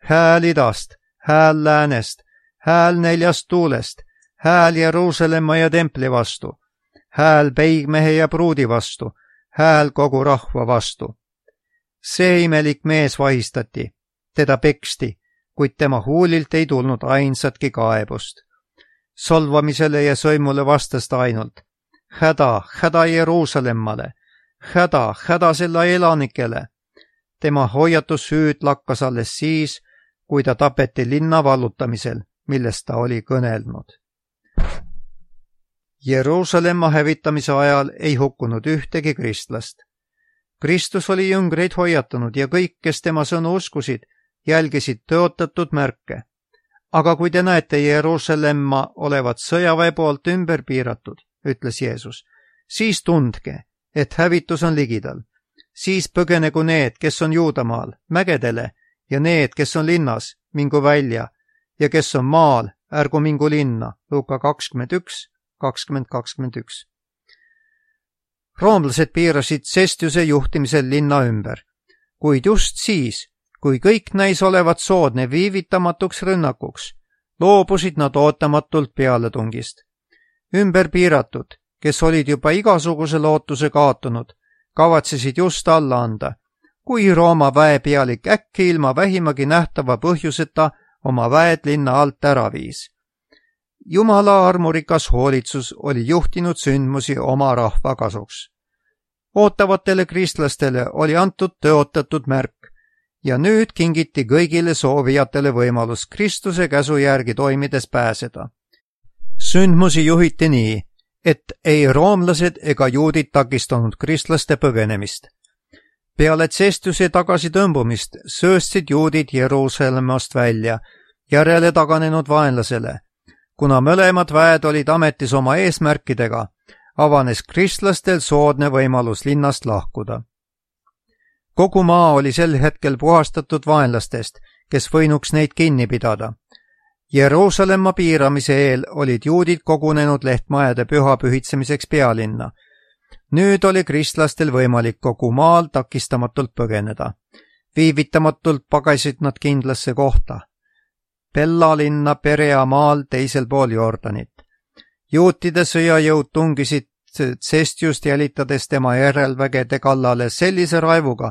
Hääl idast, hääl läänest, hääl neljast tuulest, hääl Jeruusalemma ja templi vastu, hääl peigmehe ja pruudi vastu, hääl kogu rahva vastu. See imelik mees vahistati, teda peksti, kuid tema huulilt ei tulnud ainsatki kaebust. Solvamisele ja sõimule vastas ta ainult, häda, häda Jeruusalemmale, häda, häda selle elanikele. Tema hoiatushüüd lakkas alles siis, kui ta tapeti linna vallutamisel, millest ta oli kõnelnud. Jeruusalemma hävitamise ajal ei hukkunud ühtegi kristlast. Kristus oli jüngreid hoiatanud ja kõik, kes tema sõnu uskusid, jälgisid tõotatud märke. Aga kui te näete Jeruusalemma olevat sõjaväe poolt ümber piiratud, ütles Jeesus, siis tundke, et hävitus on ligidal. Siis põgenegu need, kes on Juudamaal, mägedele, ja need, kes on linnas, mingu välja, ja kes on maal, ärgu mingu linna. Luuka kakskümmend üks, kakskümmend kakskümmend üks. Roomlased piirasid Cestiuse juhtimisel linna ümber, kuid just siis, kui kõik näis olevat soodne viivitamatuks rünnakuks, loobusid nad ootamatult pealetungist. Ümber piiratud, kes olid juba igasuguse lootuse kaotanud, kavatsesid just alla anda, kui Rooma väepealik äkki ilma vähimagi nähtava põhjuseta oma väed linna alt ära viis. Jumala armurikas hoolitsus oli juhtinud sündmusi oma rahva kasuks. Ootavatele kristlastele oli antud tõotatud märk ja nüüd kingiti kõigile soovijatele võimalus Kristuse käsu järgi toimides pääseda. Sündmusi juhiti nii, et ei roomlased ega juudid takistanud kristlaste põgenemist. Peale Cestiuse tagasitõmbumist sööstsid juudid Jeruusalemmast välja järele taganenud vaenlasele. Kuna mõlemad väed olid ametis oma eesmärkidega, avanes kristlastel soodne võimalus linnast lahkuda. Kogu maa oli sel hetkel puhastatud vaenlastest, kes võinuks neid kinni pidada. Jeruusalemma piiramise eel olid juudid kogunenud lehtmajade püha pühitsemiseks pealinna. Nüüd oli kristlastel võimalik kogu maal takistamatult põgeneda. Viivitamatult pagasid nad kindlasse kohta. Pella linna Perea maal teisel pool Jordanit. Juutide sõjajõud tungisid Cestiust jälitades tema järelvägede kallale sellise raivuga,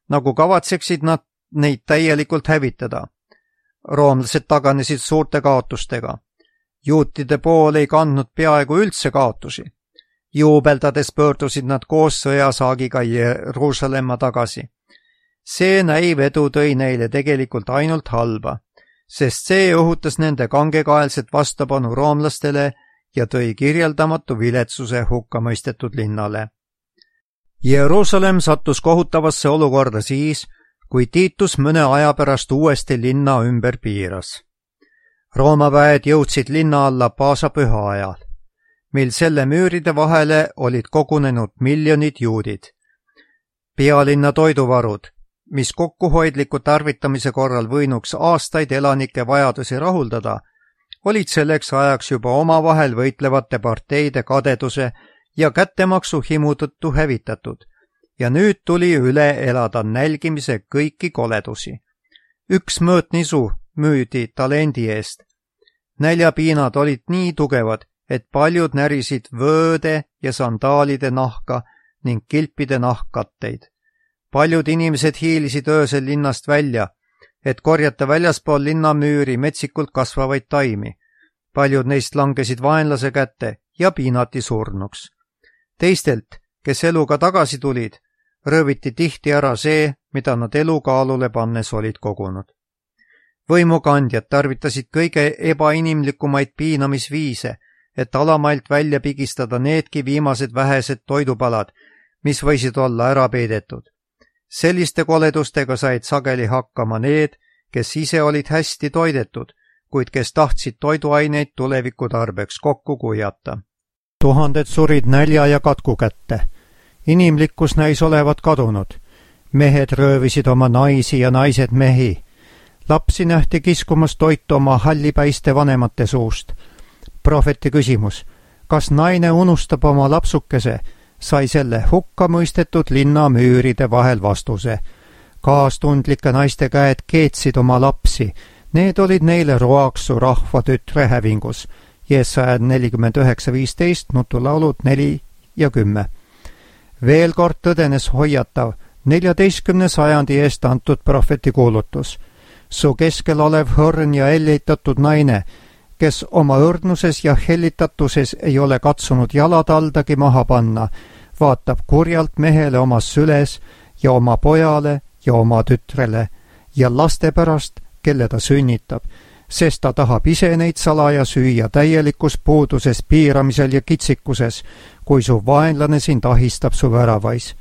nagu kavatseksid nad neid täielikult hävitada. Roomlased taganesid suurte kaotustega. Juutide pool ei kandnud peaaegu üldse kaotusi. Juubeldades pöördusid nad koos sõjasaagiga Jeruusalemma tagasi. See näiv edu tõi neile tegelikult ainult halba, sest see õhutas nende kangekaelset vastupanu roomlastele ja tõi kirjeldamatu viletsuse hukkamõistetud linnale. Jeruusalemm sattus kohutavasse olukorda siis, kui Titus mõne aja pärast uuesti linna ümber piiras. Rooma väed jõudsid linna alla paasapüha ajal, mil selle müüride vahele olid kogunenud miljonid juudid. Pealinna toiduvarud, mis kokkuhoidliku tarvitamise korral võinuks aastaid elanike vajadusi rahuldada, olid selleks ajaks juba omavahel võitlevate parteide kadeduse ja kättemaksu himu tõttu hävitatud ja nüüd tuli üle elada nälgimise kõiki koledusi. Üks mõõtnisu müüdi talendi eest. Näljapiinad olid nii tugevad, et paljud närisid vööde ja sandaalide nahka ning kilpide nahkkatteid. Paljud inimesed hiilisid öösel linnast välja, et korjata väljaspool linnamüüri metsikult kasvavaid taimi. Paljud neist langesid vaenlase kätte ja piinati surnuks. Teistelt, kes eluga tagasi tulid, rööviti tihti ära see, mida nad elukaalule pannes olid kogunud. Võimukandjad tarvitasid kõige ebainimlikumaid piinamisviise, et alamailt välja pigistada needki viimased vähesed toidupalad, mis võisid olla ära peidetud. Selliste koledustega said sageli hakkama need, kes ise olid hästi toidetud, kuid kes tahtsid toiduaineid tuleviku tarbeks kokku kuijata. Tuhanded surid nälja ja katku kätte. Inimlikkus näis olevat kadunud. Mehed röövisid oma naisi ja naised mehi. Lapsi nähti kiskumas toitu oma hallipäiste vanemate suust. Prohveti küsimus, kas naine unustab oma lapsukese, sai selle hukka mõistetud linna müüride vahel vastuse. Kaastundlike naiste käed keetsid oma lapsi, need olid neile roaks su rahva tütre hävingus. Jesaja nelikümmend üheksa viisteist, nutulaulud neli ja kümme. Veel kord tõdenes hoiatav, neljateistkümne sajandi eest antud prohveti kuulutus. Su keskel olev hõrn ja hellitatud naine, kes oma õrnuses ja hellitatuses ei ole katsunud jalad aldagi maha panna, vaatab kurjalt mehele omas süles ja oma pojale ja oma tütrele ja laste pärast, kelle ta sünnitab, sest ta tahab ise neid salaja süüa täielikus puuduses, piiramisel ja kitsikuses, kui su vaenlane sind ahistab su väravais.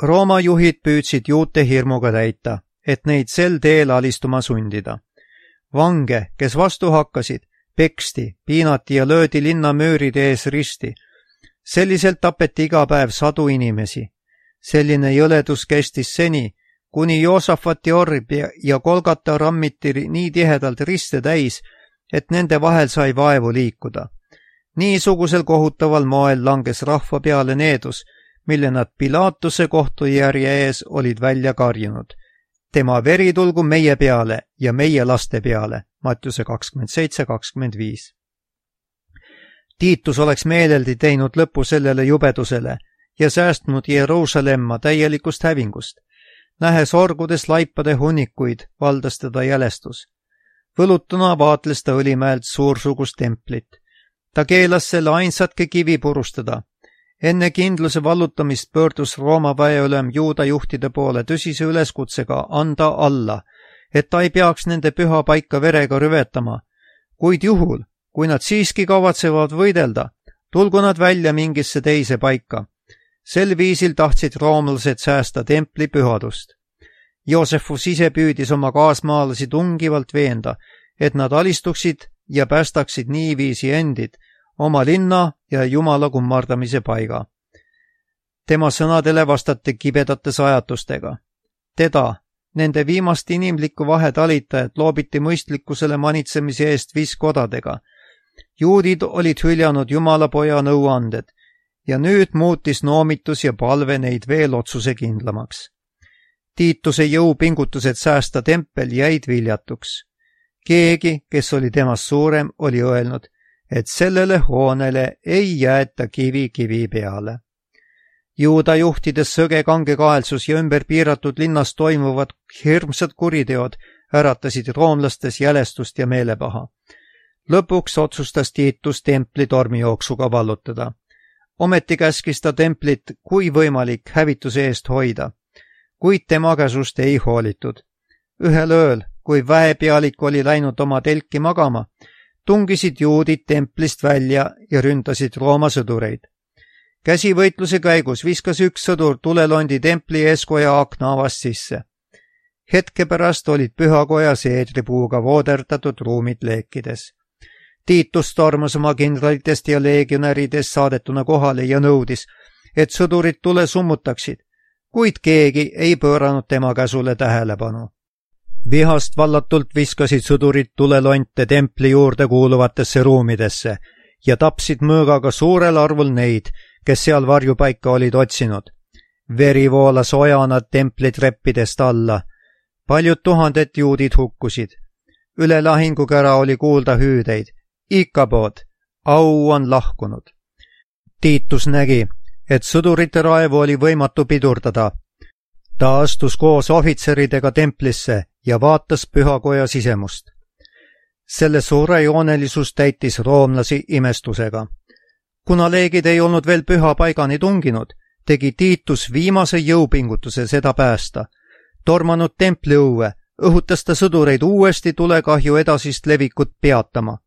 Rooma juhid püüdsid juute hirmuga täita, et neid sel teel alistuma sundida. Vange, kes vastu hakkasid, peksti, piinati ja löödi linna müüride ees risti. Selliselt tapeti iga päev sadu inimesi. Selline jõledus kestis seni, kuni Joosafati orb ja Golgata rammiti nii tihedalt riste täis, et nende vahel sai vaevu liikuda. Niisugusel kohutaval moel langes rahva peale needus, mille nad Pilatuse kohtujärje ees olid välja karjunud. Tema veri tulgu meie peale ja meie laste peale. Mattiuse kakskümmend seitse kakskümmend viis. Tiitus oleks meeleldi teinud lõpu sellele jubedusele ja säästnud Jeruusalemma täielikust hävingust. Nähes orgudes laipade hunnikuid, valdas teda jälestus. Võlutuna vaatles ta Õlimäelt suursugust templit. Ta keelas selle ainsatki kivi purustada. Enne kindluse vallutamist pöördus Rooma väeülem juuda juhtide poole tõsise üleskutsega anda alla, et ta ei peaks nende püha paika verega rüvetama. Kuid juhul, kui nad siiski kavatsevad võidelda, tulgu nad välja mingisse teise paika. Sel viisil tahtsid roomlased säästa templi pühadust. Joosefus ise püüdis oma kaasmaalasi tungivalt veenda, et nad alistuksid ja päästaksid niiviisi endid, oma linna ja Jumala kummardamise paiga. Tema sõnadele vastati kibedate sajatustega. Teda, nende viimast inimlikku vahetalitajat loobiti mõistlikkusele manitsemise eest viskodadega. Juudid olid hüljanud Jumala poja nõuanded ja nüüd muutis noomitus ja palve neid veel otsusekindlamaks. Tiituse jõupingutused säästa tempel jäid viljatuks. Keegi, kes oli temast suurem, oli öelnud, et sellele hoonele ei jäeta kivi kivi peale. Juuda juhtides sõge kangekaelsus ja ümber piiratud linnas toimuvad hirmsad kuriteod äratasid roomlastes jälestust ja meelepaha. Lõpuks otsustas Tiitus templi tormijooksuga vallutada. Ometi käskis ta templit kui võimalik hävituse eest hoida, kuid tema käsust ei hoolitud. Ühel ööl, kui väepealik oli läinud oma telki magama, tungisid juudid templist välja ja ründasid Rooma sõdureid. Käsivõitluse käigus viskas üks sõdur tulelondi templi eeskoja akna avast sisse. Hetke pärast olid pühakoja seedripuuga vooderdatud ruumid leekides. Tiitus tormas oma kindralitest ja leegionäridest saadetuna kohale ja nõudis, et sõdurid tule summutaksid, kuid keegi ei pööranud tema käsule tähelepanu. Vihast vallatult viskasid sõdurid tulelonte templi juurde kuuluvatesse ruumidesse ja tapsid mõõgaga suurel arvul neid, kes seal varjupaika olid otsinud. Veri voolas ojana templi treppidest alla. Paljud tuhanded juudid hukkusid. Üle lahingukära oli kuulda hüüdeid. Ikabood, au on lahkunud. Tiitus nägi, et sõdurite raevu oli võimatu pidurdada. Ta astus koos ohvitseridega templisse ja vaatas pühakoja sisemust. Selle suure joonelisus täitis roomlasi imestusega. Kuna leegid ei olnud veel püha paigani tunginud, tegi Tiitus viimase jõupingutuse seda päästa. Tormanud templi õue, õhutas ta sõdureid uuesti tulekahju edasist levikut peatama.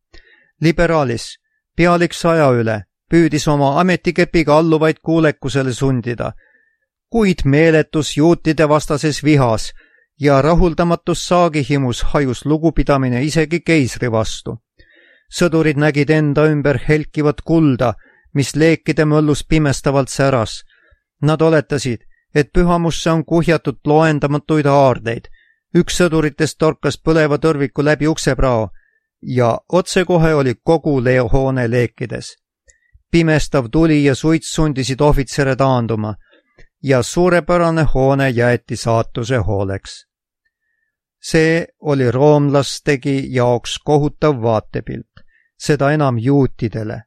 Liberaalis, pealik saja üle, püüdis oma ametikepiga alluvaid kuulekusele sundida, kuid meeletus juutide vastases vihas ja rahuldamatus saagihimus hajus lugupidamine isegi keisri vastu. Sõdurid nägid enda ümber helkivat kulda, mis leekide mõllus pimestavalt säras. Nad oletasid, et pühamusse on kuhjatud loendamatuid haardeid. Üks sõduritest torkas põleva tõrviku läbi ukseprao ja otsekohe oli kogu hoone leekides. Pimestav tuli ja suits sundisid ohvitsere taanduma ja suurepärane hoone jäeti saatuse hooleks. See oli roomlastegi jaoks kohutav vaatepilt, seda enam juutidele.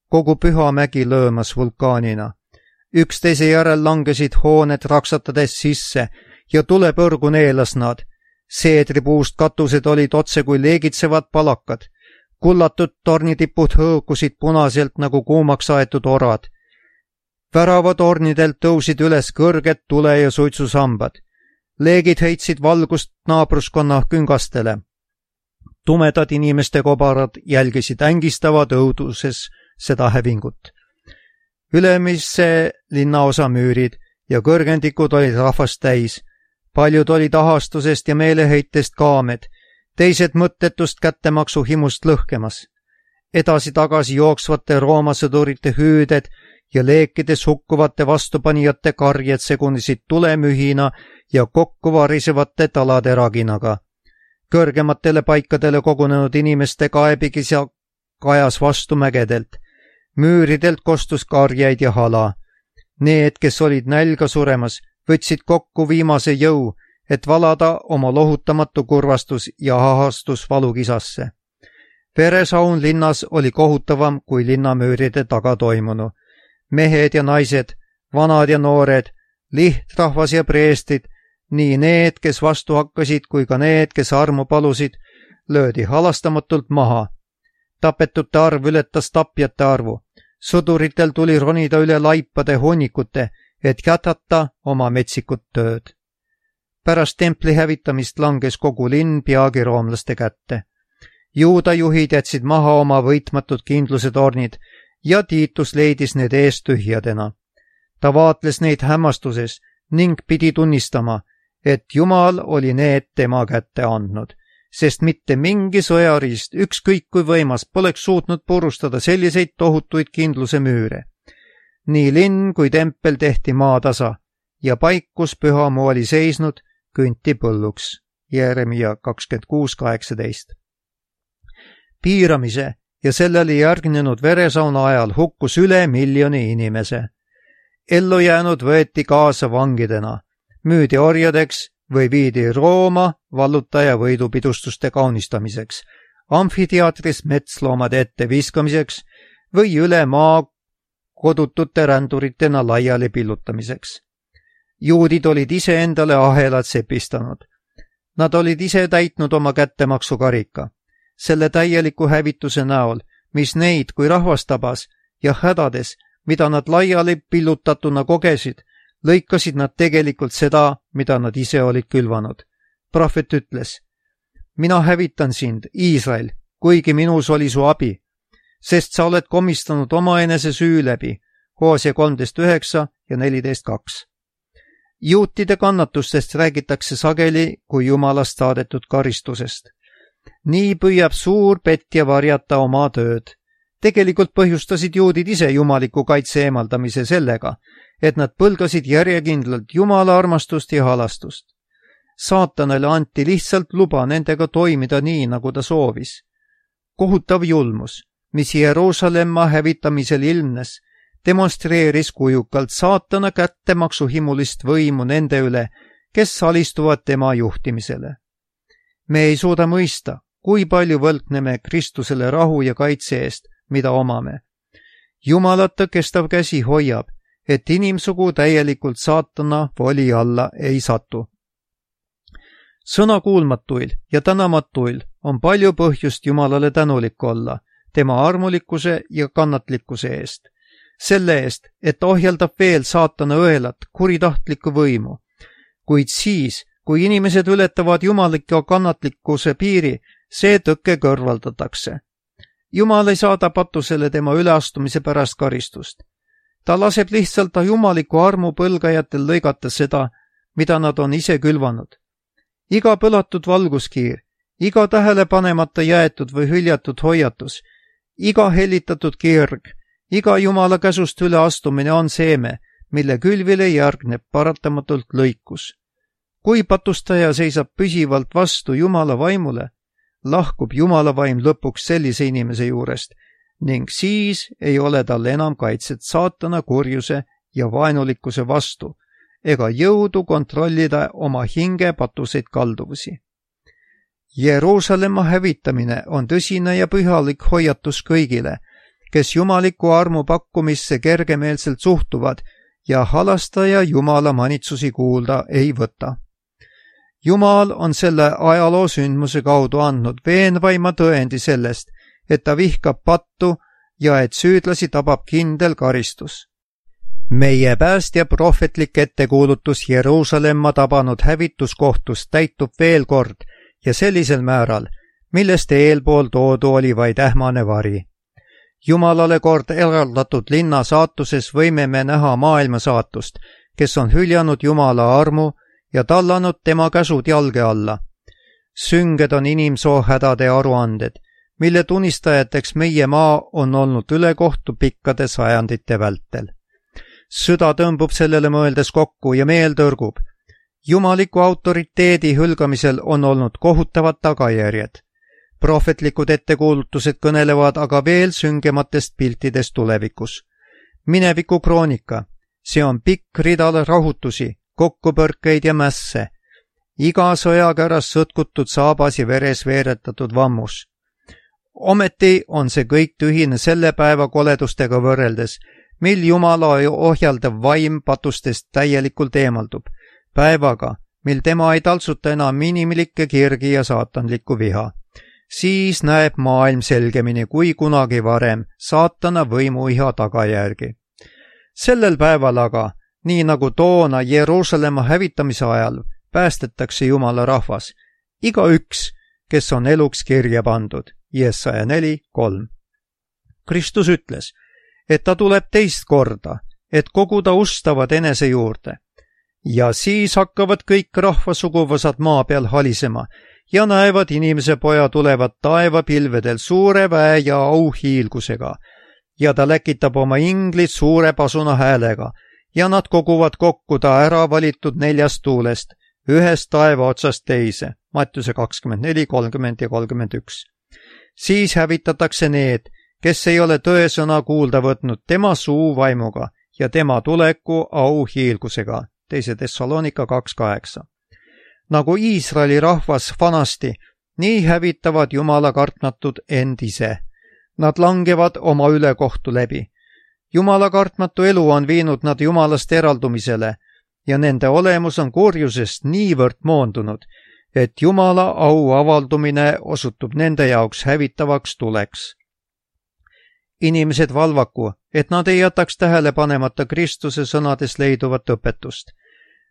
Kogu püha mägi lõõmas vulkaanina. Üksteise järel langesid hooned raksatades sisse ja tulepõrgu neelas nad. Seedripuust katused olid otse kui leegitsevad palakad. Kullatud tornitipud hõõkusid punaselt nagu kuumaks aetud orad. Väravatornidelt tõusid üles kõrged tule- ja suitsusambad. Leegid heitsid valgust naabruskonna küngastele. Tumedad inimeste kobarad jälgisid ängistavad õuduses seda hävingut. Ülemise linnaosa müürid ja kõrgendikud olid rahvast täis. Paljud olid ahastusest ja meeleheitest kaamed, teised mõttetust kättemaksu himust lõhkemas. Edasi-tagasi jooksvate Rooma sõdurite hüüded ja leekides hukkuvate vastupanijate karjed segunesid tulemühina ja kokku varisevate talade raginaga. Kõrgematele paikadele kogunenud inimeste kaebikis ja kajas vastu mägedelt. Müüridelt kostus karjeid ja hala. Need, kes olid nälga suremas, võtsid kokku viimase jõu, et valada oma lohutamatu kurvastus ja ahastus valukisasse. Veresaun linnas oli kohutavam kui linnamüüride taga toimunu. Mehed ja naised, vanad ja noored, lihtrahvas ja preestrid, nii need, kes vastu hakkasid, kui ka need, kes armu palusid, löödi halastamatult maha. Tapetute arv ületas tapjate arvu. Sõduritel tuli ronida üle laipade hunnikute, et jätkata oma metsikut tööd. Pärast templi hävitamist langes kogu linn peagi roomlaste kätte. Juuda juhid jätsid maha oma võitmatud kindluse tornid ja Tiitus leidis need eest tühjadena. Ta vaatles neid hämmastuses ning pidi tunnistama, et Jumal oli need tema kätte andnud, sest mitte mingi sõjariist, ükskõik kui võimas, poleks suutnud purustada selliseid tohutuid kindluse müüre. Nii linn kui tempel tehti maatasa ja paik, kus pühamu oli seisnud, künti põlluks. Jeremia kakskümmend kuus kaheksateist. Piiramise ja sellele järgnenud veresauna ajal hukkus üle miljoni inimese. Ellu jäänud võeti kaasa vangidena, müüdi orjadeks või viidi Rooma vallutaja võidupidustuste kaunistamiseks, amfiteatris metsloomade ette viskamiseks või üle maa kodutute ränduritena laiali pillutamiseks. Juudid olid ise endale ahelad sepistanud. Nad olid ise täitnud oma kättemaksukarika. Selle täieliku hävituse näol, mis neid kui rahvast tabas ja hädades, mida nad laiali pillutatuna kogesid, lõikasid nad tegelikult seda, mida nad ise olid külvanud. Prohvet ütles, mina hävitan sind, Iisrael, kuigi minus oli su abi, sest sa oled komistanud omaenese süü läbi, Hoosia kolmteist üheksa ja neliteist kaks. Juutide kannatustest räägitakse sageli kui Jumalast saadetud karistusest. Nii püüab suur petja varjata oma tööd. Tegelikult põhjustasid juudid ise jumaliku kaitse eemaldamise sellega, et nad põlgasid järjekindlalt Jumala armastust ja halastust. Saatanale anti lihtsalt luba nendega toimida nii, nagu ta soovis. Kohutav julmus, mis Jeruusalemma hävitamisel ilmnes, demonstreeris kujukalt saatana kättemaksuhimulist võimu nende üle, kes alistuvad tema juhtimisele. Me ei suuda mõista, kui palju võlgneme Kristusele rahu ja kaitse eest, mida omame. Jumalata kestav käsi hoiab, et inimsugu täielikult saatana voli alla ei satu. Sõnakuulmatuil ja tänamatuil on palju põhjust Jumalale tänulik olla, tema armulikkuse ja kannatlikkuse eest. Selle eest, et ohjeldab veel saatana õelat kuritahtlikku võimu. Kuid siis, kui inimesed ületavad jumaliku kannatlikkuse piiri, see tõkke kõrvaldatakse. Jumal ei saada patusele tema üleastumise pärast karistust. Ta laseb lihtsalt jumaliku armu põlgajatel lõigata seda, mida nad on ise külvanud. Iga põlatud valguskiir, iga tähelepanemata jäetud või hüljatud hoiatus, iga hellitatud kirg, iga Jumala käsust üleastumine on seeme, mille külvile järgneb paratamatult lõikus. Kui patustaja seisab püsivalt vastu Jumala vaimule, lahkub Jumala vaim lõpuks sellise inimese juurest ning siis ei ole tal enam kaitset saatana kurjuse ja vaenulikkuse vastu ega jõudu kontrollida oma hinge patuseid kalduvusi. Jeruusalemma hävitamine on tõsine ja pühalik hoiatus kõigile, kes jumaliku armu pakkumisse kergemeelselt suhtuvad ja halastaja Jumala manitsusi kuulda ei võta. Jumal on selle ajaloo sündmuse kaudu andnud veenvaima tõendi sellest, et ta vihkab pattu ja et süüdlasi tabab kindel karistus. Meie päästja prohvetlik ettekuulutus Jeruusalemma tabanud hävituskohtust täitub veel kord ja sellisel määral, millest eelpool toodu oli vaid ähmane vari. Jumalale kord eraldatud linna saatuses võime me näha maailma saatust, kes on hüljanud Jumala armu ja tallanud tema käsud jalge alla. Sünged on inimsoo hädade aruanded, mille tunnistajateks meie maa on olnud ülekohtu pikkade sajandite vältel. Süda tõmbub sellele mõeldes kokku ja meel tõrgub. Jumaliku autoriteedi hülgamisel on olnud kohutavad tagajärjed. Prohvetlikud ettekuulutused kõnelevad aga veel süngematest piltidest tulevikus. Mineviku kroonika, see on pikk rida rahutusi, kokkupõrkeid ja mässe, iga sõjakäras sõtkutud saabas ja veres veeretatud vammus. Ometi on see kõik tühine selle päeva koledustega võrreldes, mil Jumala ohjaldav vaim patustest täielikult eemaldub, päevaga, mil tema ei taltsuta enam inimlikke kirgi ja saatanlikku viha. Siis näeb maailm selgemini kui kunagi varem saatana võimuiha tagajärgi. Sellel päeval aga, nii nagu toona Jeruusalemma hävitamise ajal, päästetakse Jumala rahvas, igaüks, kes on eluks kirja pandud. Jesaja neli kolm. Kristus ütles, et ta tuleb teist korda, et koguda ustavad enese juurde. Ja siis hakkavad kõik rahvasuguvõsad maa peal halisema ja näevad inimese poja tulevat taevapilvedel suure väe ja auhiilgusega. Ja ta läkitab oma inglid suure pasuna häälega ja nad koguvad kokku ta ära valitud neljast tuulest, ühest taeva otsast teise. Mattiuse kakskümmend neli, kolmkümmend ja kolmkümmend üks. Siis hävitatakse need, kes ei ole tõesõna kuulda võtnud tema suu vaimuga ja tema tuleku auhiilgusega. Teise Thessalonika kaks kaheksa. Nagu Iisraeli rahvas vanasti, nii hävitavad Jumala kartmatud end ise. Nad langevad oma ülekohtu läbi. Jumala kartmatu elu on viinud nad Jumalast eraldumisele ja nende olemus on kurjusest niivõrd moondunud, et Jumala au avaldumine osutub nende jaoks hävitavaks tuleks. Inimesed valvaku, et nad ei jätaks tähele panemata Kristuse sõnades leiduvat õpetust.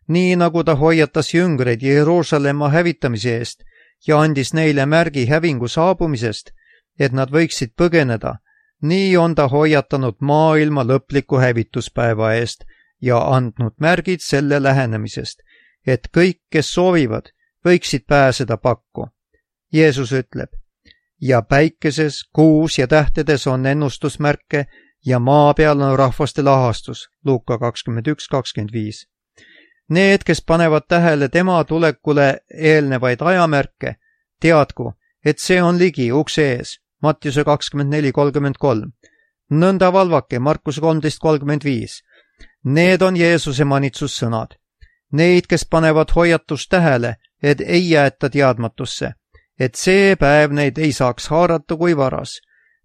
Nii nagu ta hoiatas jüngreid Jeruusalemma hävitamise eest ja andis neile märgi hävingu saabumisest, et nad võiksid põgeneda, nii on ta hoiatanud maailma lõpliku hävituspäeva eest ja andnud märgid selle lähenemisest, et kõik, kes soovivad, võiksid pääseda pakku. Jeesus ütleb, ja päikeses, kuus ja tähtedes on ennustusmärke ja maa peal on rahvaste lahastus. Luuka kakskümmend üks kakskümmend viis. Need, kes panevad tähele tema tulekule eelnevaid ajamärke, teadku, et see on ligi ukse ees. Mattiuse kakskümmend neli kolmkümmend kolm. Nõnda valvake, Markuse kolmteist kolmkümmend viis. Need on Jeesuse manitsussõnad. Neid, kes panevad hoiatust tähele, et ei jäeta teadmatusse, et see päev neid ei saaks haarata kui varas.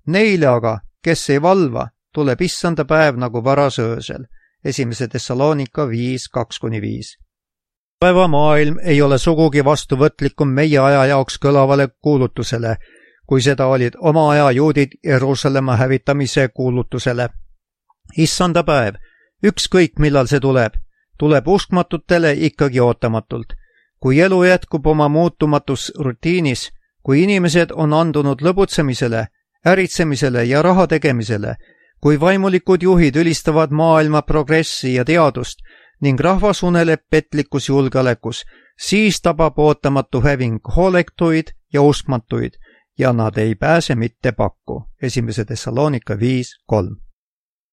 Neile aga, kes ei valva, tuleb issanda päev nagu varas öösel. Esimese Thessalonika viis kaks kuni viis. Päeva maailm ei ole sugugi vastuvõtlikum meie aja jaoks kõlavale kuulutusele, kui seda olid oma aja juudid Jeruusalemma hävitamise kuulutusele. Issanda päev, ükskõik millal see tuleb, tuleb uskmatutele ikkagi ootamatult. Kui elu jätkub oma muutumatus rutiinis, kui inimesed on andunud lõbutsemisele, äritsemisele ja raha tegemisele, kui vaimulikud juhid ülistavad maailma progressi ja teadust ning rahvas uneleb petlikus julgeolekus, siis tabab ootamatu häving hooletuid ja uskmatuid ja nad ei pääse mitte pakku. Esimese Thessalonika viis kolm.